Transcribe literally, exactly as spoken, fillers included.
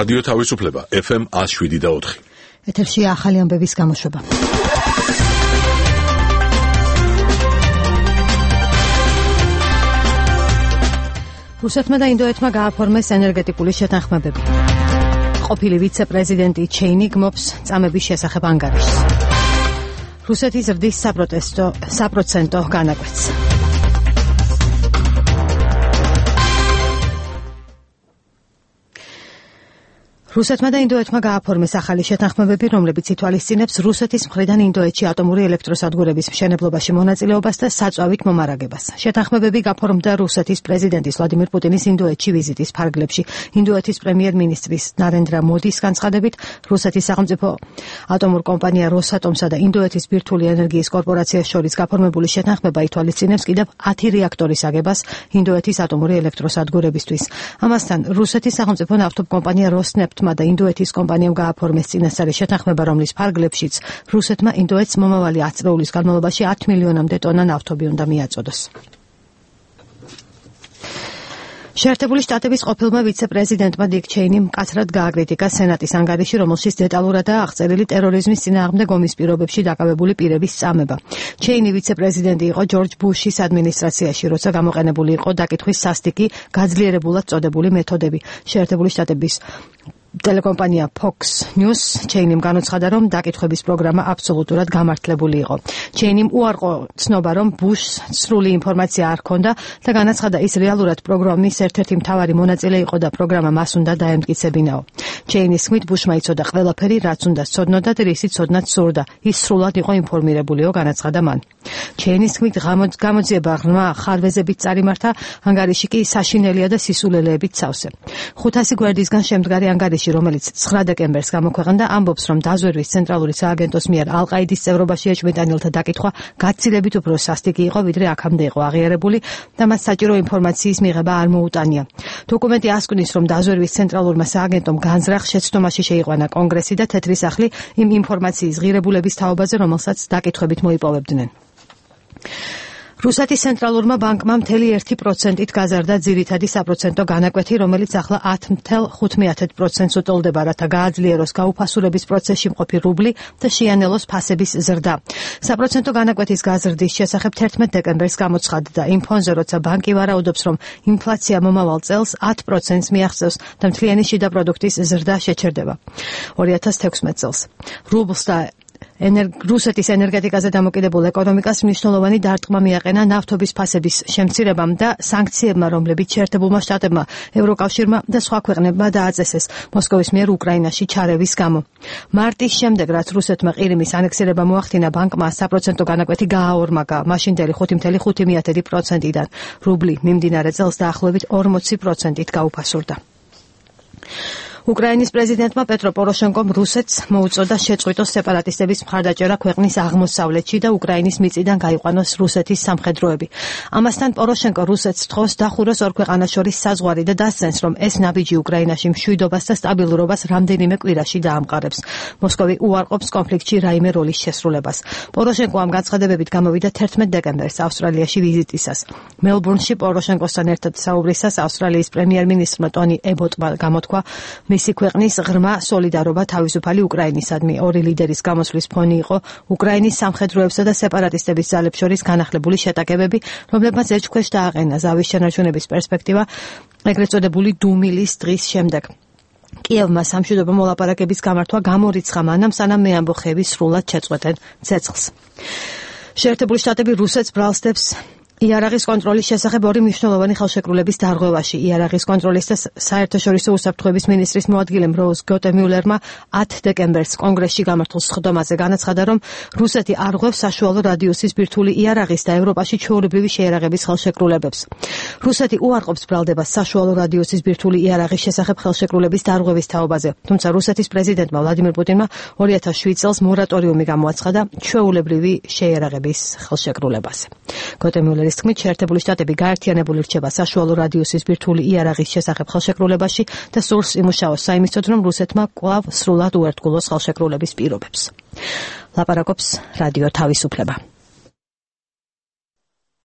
რადიო თავისუფლება ეფ ემ ათს შვიდი და ოთხი. ეთერში ახალი ამბების გამოშვება. რუსეთმა და ინდოეთმა გააფორმეს ენერგეტიკული შეთანხმებები. ყოფილი ვიცე-პრეზიდენტი ჩეინი გმობს წამების შესახებ ანგარიშს. რუსეთი ზრდის საპროტესტო საპროცენტო განაკვეთს. რუსეთმა და ინდოეთმა გააფორმეს ახალი შეთანხმებები, რომლებიც ითვალისწინებს რუსეთის მხრიდან ინდოეთში ატომური ელექტროსადგურების მშენებლობაში მონაწილეობას და საწვავით მომარაგებას. შეთანხმებები გაფორმდა რუსეთის პრეზიდენტის ვლადიმირ პუტინის ინდოეთში ვიზიტის ფარგლებში. ინდოეთის პრემიერ-მინისტრის ნარენდრა მოდის განცხადებით, რუსეთის სახელმწიფო ატომურ კომპანია როსატომსა და ინდოეთის ბირთვული ენერგიის კორპორაციას შორის გაფორმებული შეთანხმება ითვალისწინებს კიდევ ათი რეაქტორის აგებას ინდოეთის ატომური ელექტროსადგურებისთვის. ამასთან რუსეთის სახელმწიფო ნავთობკომპანია როსნეფტ და ინდოეთის კომპანიამ გააფორმეს წინასწარი შეთანხმება, რომლის ფარგლებშიც რუსეთმა ინდოეთს მომავალი ათ წლების განმავლობაში ათ მილიონამდე ტონა ნავთობი უნდა მიაწოდოს. შეერთებული შტატების ყოფილმა ვიცე-პრეზიდენტმა დიკ ჩეინიმ მკაცრად გააკრიტიკა სენატის ანგარიში, რომელშიც დეტალურადაა აღწერილი ტერორიზმის წინააღმდეგ ომის პირობებში დაკავებული პირების წამება. ჩეინი ვიცე-პრეზიდენტი იყო ჯორჯ ბუშის ადმინისტრაციაში, როცა გამოყენებული იყო დაკითხვის სასტიკი გაძლიერებულად წოდებული მეთოდები. შეერთებული შტატების ტელეკომპანია Fox News ჩეინიმ განუცხადა, რომ დაკითხვების პროგრამა აბსოლუტურად გამართლებული იყო. ჩეინიმ უარყო ცნობა, რომ ბუშს სრული ინფორმაცია არ ჰქონდა და განაცხადა, ის რეალურად პროგრამის ერთ-ერთი მთავარი მონაწილე იყო და პროგრამა მას უნდა დაემტკიცებინაო. ჩეინის თქმით, ბუშმა იცოდა ყველაფერი, რაც უნდა სცოდნოდა და რისი ცოდნაც სურდა. ის სრულად იყო ინფორმირებულიო, განაცხადა მან. ჩეინის თქმით, გამოძიება ღრმა ხარვეზებით წარიმართა, ანგარიში კი საშინელია და სისულელეებით სავსე. ხუთასი გვერდისგან შემდგარი ანგარიში, რომელიც ცხრა დეკემბერს გამოქვეყნდა, ამბობს, რომ დაზვერვის ცენტრალური სააგენტოს მიერ ალ-ყაიდის წევრობაში ეჭვმიტანილთა დაკითხვა გაცილებით უფრო სასტიკი იყო, ვიდრე აქამდე იყო აღიარებული და მას საჭირო ინფორმაციის მიღება არ მოუტანია. დოკუმენტი ასკვნის, რომ დაზვერვის ცენტრალურმა სააგენტომ განზრახ შეცდომაში შეიყვანა კონგრესი და თეთრი სახლი იმ ინფორმაციის ღირებულების თაობაზე, რომელსაც დაკითხვებით მოიპოვებდნენ. რუსეთის ცენტრალურმა ბანკმა მთელი ერთი პროცენტით გაზარდა ძირითადი საპროცენტო განაკვეთი, რომელიც ახლა ათ ათი პროცენტს უტოლდება, რათა გააძლიეროს გაუფასურების პროცესში მყოფი რუბლი და შეანელოს ფასების ზრდა. საპროცენტო განაკვეთის გაზრდის შესახებ თერთმეტ დეკემბერს გამოცხადდა იმ ფონზე, როცა ბანკი ვარაუდობს, რომ ინფლაცია მომავალ წელს ათ პროცენტს მიაღწევს და მთლიანი შიდა პროდუქტის ზრდა შეჩერდება ორი ათას თექვსმეტ წელს. რუბლს და რუსეთის ენერგეტიკაზე დამოკიდებულ ეკონომიკას მნიშვნელოვანი დარტყმა მიაყენა ნავთობის ფასების შემცირებამ და სანქციებმა, რომლებიც შეერთებულმა შტატებმა, ევროკავშირმა და სხვა ქვეყნებმა დააწესეს მოსკოვის მიერ უკრაინაში ჩარევის გამო. მარტის შემდეგ, რაც რუსეთმა ყირიმის ანექსირება მოახდინა, ბანკმა საპროცენტო განაკვეთი გააორმაგა მაშინდელი ხუთი ათეული ხუთი პროცენტიდან. რუბლი მიმდინარე წელს დაახლოებით ორმოცი პროცენტით გაუფასურდა. უკრაინის პრეზიდენტმა პეტრო პოროშენკომ რუსეთს მოუწოდა შეწყვიტოს სეპარატისტების მხარდაჭერა ქვეყნის აღმოსავლეთში და უკრაინის მიწიდან გაიყვანოს რუსეთის სამხედროები. ამასთან პოროშენკო რუსეთს თხოვს დახუროს ორ ქვეყანას შორის საზღვარი და დასცენს, რომ ეს ნაბიჯი უკრაინაში მშვიდობას და სტაბილურობას რამდენიმე კვირაში დაამყარებს. მოსკოვი უარყოფს კონფლიქტში რაიმე როლის შესრულებას. პოროშენკო ამ განცხადებებით გამოვიდა თერთმეტ დეკემბერს ავსტრალიაში ვიზიტისას. მელბურნში პოროშენკოსთან ერთად საუბრისას ავსტრალიის პრემიერ-მინისტრმა ტონი ებოტმა გამოთქვა, მისი ქვეყნის ღრმა სოლიდარობა თავისუფალი უკრაინისადმი. ორი ლიდერის გამოსვლის ფონი იყო უკრაინის სამხედროებსა და სეპარატისტების ძალებს შორის განახლებული შეტაკებები, რომლებმაც ეჭქვეშ დააყენა ზავის შენარჩუნების პერსპექტივა, ეგრეთ წოდებული დუმილის დღის შემდეგ. კიევმა სამშვიდობო მოლაპარაკების გამართვა გამორიცხა მანამ, სანამ მეამბოხეები სრულად შეწყვეტენ ცეცხლს. შეერთებული შტატები რუსეთს ბრალსდებს იარაღის კონტროლის შესახებ ორი მნიშვნელოვანი ხელშეკრულების დარღვევაში. იარაღის კონტროლის და საერთაშორისო უსაფრთხოების მინისტრის მოადგილემ როუზ გოტემიულერმა ათ დეკემბერს კონგრესში გამართულ სხდომაზე განაცხადა, რომ რუსეთი არ ღვევს საშუალო რადიუსის ბირთვული იარაღის და ევროპაში ჩვეულებრივი შეიარაღების ხელშეკრულებებს. რუსეთი უარყოფს ბრალდებას საშუალო რადიუსის ბირთვული იარაღის შესახებ ხელშეკრულების დარღვევის თაობაზე, თუმცა რუსეთის პრეზიდენტმა ვლადიმირ პუტინმა ორი ათას შვიდ წელს მორატორიუმი გამოაცხადა ჩვეულებრივი შეიარაღების ხელშეკრულებაზე. გოტემიულერი თქმით, შეერთებული შტატები გაერთიანებული რჩება საშუალო რადიუსის ბირთვული იარაღის შესახებ ხელშეკრულებაში და სურს იმუშაოს საიმისოდ, რომ რუსეთმა კვლავ სრულად უერთგულოს ხელშეკრულების პირობებს. ლაპარაკობს რადიო თავისუფლება.